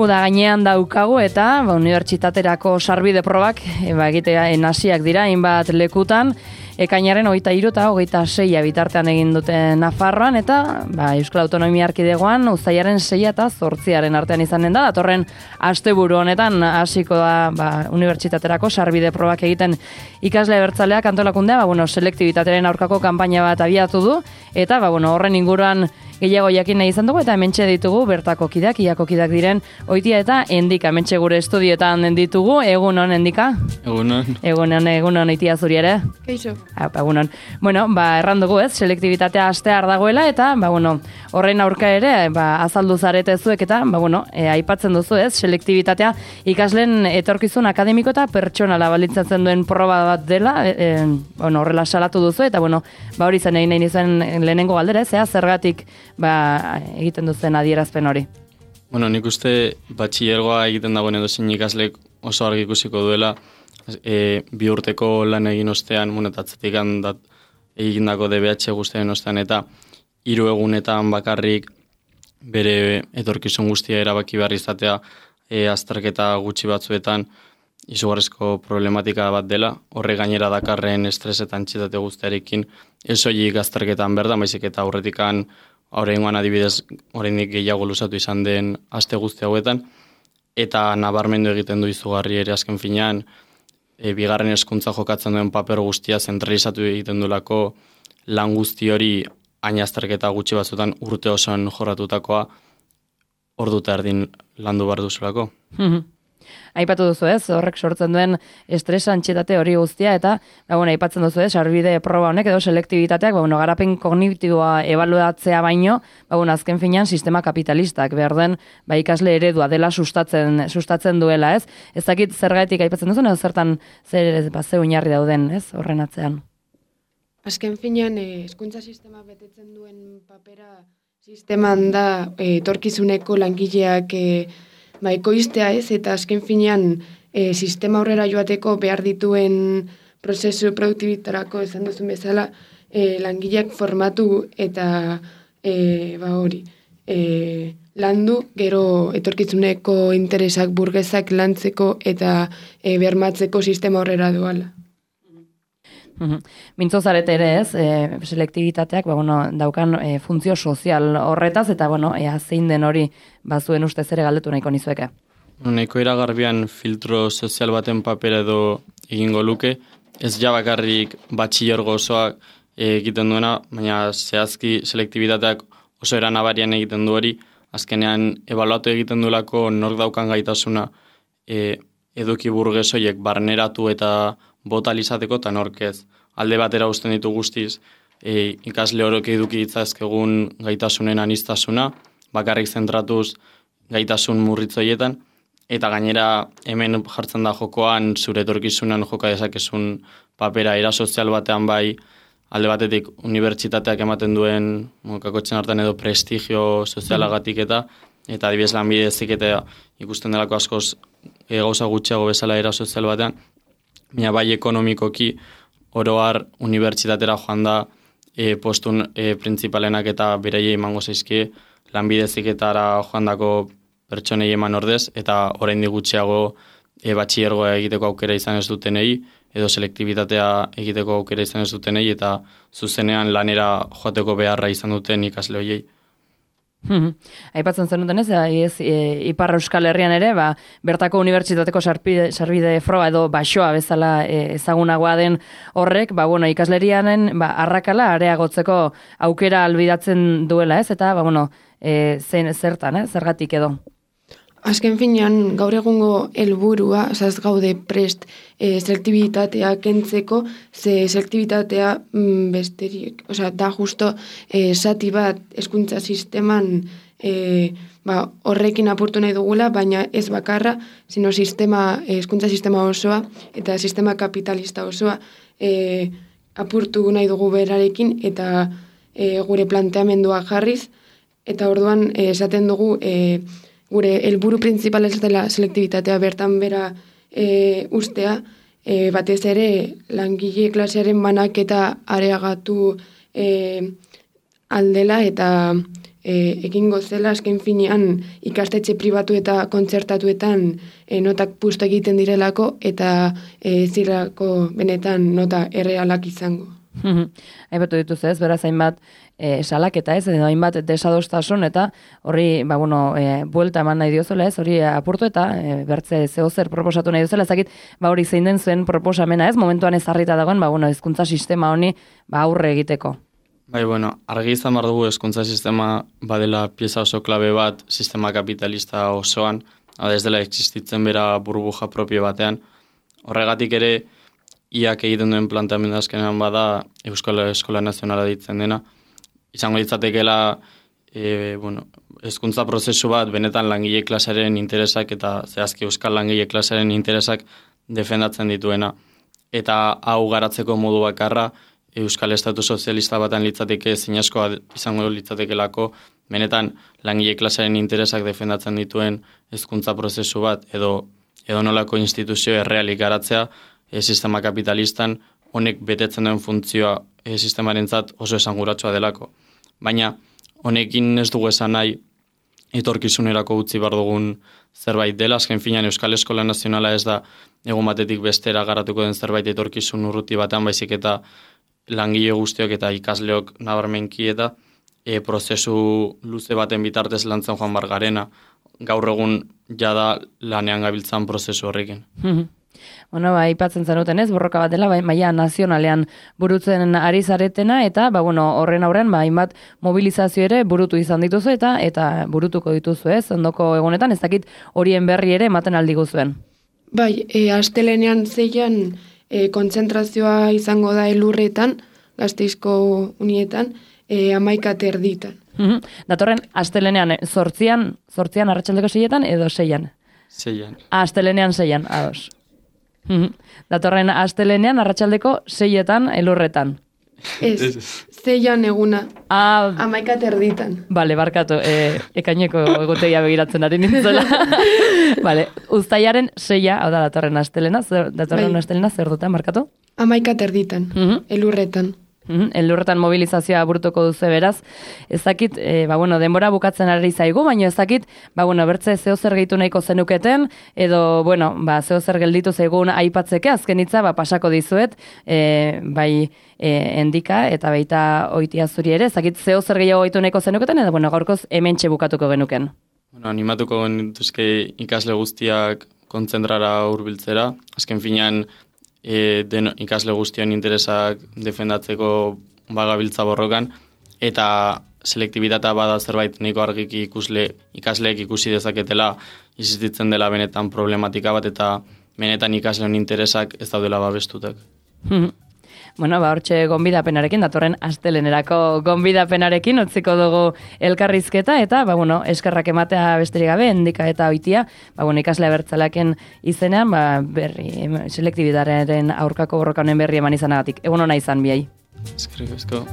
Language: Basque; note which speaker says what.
Speaker 1: da gainean daukagu eta unibertsitaterako sarbide probak egitea hasiak dira hainbat lekutan. Ekainaren 23 eta 26 bitartean egin dute Nafarroan eta Euskal Autonomia Erkidegoan uztailaren 6 eta 8 artean izanen da. Datorren asteburu honetan hasiko da unibertsitaterako sarbide probak egiten ikasle abertzaleak antolakundea, selektibitatearen aurkako kanpaina bat abiatu du eta horren inguruan gehiago jakin nahi izan dugu eta hementxe ditugu bertako kideak, iako kideak diren Oitia eta Endika, hementxe gure estudioetan ditugu. Egunon, Endika? Egunon, Oitia zuri ere?
Speaker 2: Keixo.
Speaker 1: Egunon. Erran dugu selektibitatea astear dagoela eta, horren aurka ere, azaldu zarete zuek eta, aipatzen duzu selektibitatea ikasleen etorkizun akademiko eta pertsonala balitzatzen duen proba bat dela, horrela salatu duzu eta, hori zen egin nahi nizuen lehenengo galdera, zergatik egiten duzen adierazpen hori.
Speaker 3: Nik uste batxilergoa egiten dagoen edozein ikaslek oso argi ikusiko duela 2 urteko lan egin ostean, atzetik egindako DBH guztien ostean eta 3 egunetan bakarrik bere etorkizun guztia erabaki behar izatea azterketa gutxi batzuetan izugarrizko problematika bat dela, horre gainera dakarren estres eta antxietate guztiarekin ez soilik azterketan berda, baizik eta aurretikan oraingoan adibidez oraindik gehiago luzatu izan den aste guzti hauetan eta nabarmendu egiten du izugarri ere azken finean bigarren hezkuntza jokatzen duen paper guztia zentralizatu egiten duelako lan guzti hori hain azterketa gutxi batzuetan urte osoan jorratutakoa ordu eta erdin landu behar duzulako.
Speaker 1: Aipatu duzu horrek sortzen duen estres antsietate hori guztia eta aipatzen duzu sarbide proba honek edo selektibitateak garapen kognitiboa ebaluatzea baino azken finean sistema kapitalistak behar den ikasle eredua dela sustatzen duela, ez? Ez dakit zergatik aipatzen duzu, edo zertan ze oinarri dauden, ez? Horren atzean.
Speaker 2: Azken finean hezkuntza sistema betetzen duen papera sisteman da etorkizuneko langileak ekoiztea, ez, eta azken finean sistema aurrera joateko behar dituen prozesu produktibitarako esan duzun bezala langileak formatu eta landu gero etorkizuneko interesak burgesak lantzeko eta bermatzeko sistema aurrera doala.
Speaker 1: Mintzo zarete ere ez, selektibitateak daukan funtzio sozial horretaz, eta zein den hori bazuen ustez ere galdetu nahiko nizueke.
Speaker 3: Nahiko iragarbian filtro sozial baten papera edo egingo luke, ez bakarrik batxilergo osoak egiten duena, baina zehazki selektibitateak oso eranabarian egiten du hori, azkenean ebaluatu egiten duelako nork daukan gaitasuna eduki burgesoiek barneratu eta botalizateko eta nork ez. Alde batera uzten ditu guztiz ikasle horok eduki ditzazkegun gaitasunen anistasuna, bakarrik zentratuz gaitasun murritzoietan, eta gainera hemen jartzen da jokoan zure etorkizunan joka dezakezun papera era sozial batean bai, alde batetik unibertsitateak ematen duen kakotxen hartan edo prestigio sozialagatik eta adibidez lanbide heziketa ikusten delako askoz gauza gutxiago bezala era sozial batean, baina bai ekonomikoki oroar unibertsitatera joan da postun printzipalenak eta beraiei emango zaizkie lanbide heziketara joandako pertsonei eman ordez eta oraindik gutxiago batxilergoa egiteko aukera izan ez dutenei edo selektibitatea egiteko aukera izan ez dutenei eta zuzenean lanera joateko beharra izan duten ikasle horiei.
Speaker 1: Aipatzen zenuten ez, Ipar Euskal Herrian ere, bertako unibertsitateko sarbide froga edo basoa bezala ezagunagoa den horrek, ikaslerianen arrakala areagotzeko aukera albidatzen duela ez, eta zertan, zergatik edo?
Speaker 2: Azken finean, gaur egungo helburua, ez gaude prest selektibitatea kentzeko, ze selektibitatea besterik, da justo zati bat hezkuntza sisteman horrekin apurtu nahi dugula, baina ez bakarra, sino hezkuntza sistema osoa eta sistema kapitalista osoa apurtu nahi dugu berarekin eta gure planteamendua jarriz, eta orduan esaten dugu gure helburu printzipala ez dela selektibitatea bertan bera ustea, batez ere langile klasearen banaketa areagatu aldela eta egingo zela, azken finean ikastetxe pribatu eta kontzertatuetan notak pustu egiten direlako eta zirako benetan nota errealak izango.
Speaker 1: Aipatu dituz ez, beraz hainbat salaketa ez, edo hainbat desadostasun eta horri, buelta eman nahi diozuela ez, hori apurtu eta bertze zehozer proposatu nahi diozuela, ezakit, hori zein den zuen proposamena ez, momentuan ezarrita dagoen, hezkuntza sistema honi aurre egiteko.
Speaker 3: Bai, argi izan behar dugu hezkuntza sistema badela pieza oso klabe bat sistema kapitalista osoan, ez dela existitzen bera burbuja propio batean. Horregatik ere, iak egiten duen planteamendu azkenean bada Euskal Eskola Nazionala ditzen dena. Izango ditzatekela, hezkuntza prozesu bat benetan langile klasearen interesak eta zehazki Euskal langile klasearen interesak defendatzen dituena. Eta hau garatzeko modu bakarra, Euskal Estatu Sozialista batan litzateke zinezkoa izango litzatekelako, benetan langile klasearen interesak defendatzen dituen hezkuntza prozesu bat edo nolako instituzio errealik garatzea sistema kapitalistan honek betetzen duen funtzioa sistemarentzat oso esanguratsua delako. Baina honekin ez dugu esan nahi etorkizunerako utzi behar dugun zerbait dela, azken finean Euskal Eskola Nazionala ez da egun batetik bestera garatuko den zerbait etorkizun urruti batean, baizik eta langile guztiok eta ikasleok nabarmenki eta prozesu luze baten bitartez lantzen joan bar garena, gaur egun jada lanean gabiltzan prozesu horrekin.
Speaker 1: Aipatzen zenuten ez, borroka bat dela, maila nazionalean burutzen ari zaretena, eta horren aurrean hainbat mobilizazio ere burutu izan dituzu eta burutuko dituzu ez, ondoko egunetan, ez dakit horien berri ere ematen aldigu zuen.
Speaker 2: Bai, astelenean zeian kontzentrazioa izango da Elurretan, Gasteizko unietan, 11:30.
Speaker 1: Datorren astelenean 8 arratsaldeko 6etan edo 6an?
Speaker 3: 6an.
Speaker 1: Astelenean 6an, ados. Datorren astelenean arratsaldeko 6etan Elurretan.
Speaker 2: Ez, 6an eguna. 11:30.
Speaker 1: Bale, barkatu, ekaineko egutegia begiratzen ari nintzela. Bale, uztailaren 6a, hau da datorren astelena, astelena zer duten, barkatu?
Speaker 2: 11:30, Elurretan.
Speaker 1: Elurretan mobilizazioa burutuko duzu beraz. Ez dakit, denbora bukatzen ari zaigu, baina ez dakit, bertze zehozer gehitu nahiko zenuketen, edo, zehozer gelditu zaigun aipatzeke, azken hitza, pasako dizuet, endika, eta baita oitia zuri ere, ez dakit zehozer gehiago gehitu nahiko zenuketen, edo, gaurkoz hementxe bukatuko genuken.
Speaker 3: Animatuko genituzke ikasle guztiak kontzentrara hurbiltzera, azken finean, ikasle guztion interesak defendatzeko bagabiltza borrokan, eta selektibitatea bada zerbait nahiko argiki ikasleek ikusi dezaketela existitzen dela benetan problematika bat, eta benetan ikasleen interesak ez daudela babestutak.
Speaker 1: Hortxe gonbidapenarekin, datorren astelenerako gonbidapenarekin utziko dugu elkarrizketa, eta, eskerrak ematea besterik gabe, endika eta oitia, ikasle abertzalaken izenean, selektibitatearen aurkako borroka honen berri eman izanagatik. Egun hona izan, biai.
Speaker 3: Eskerrik asko.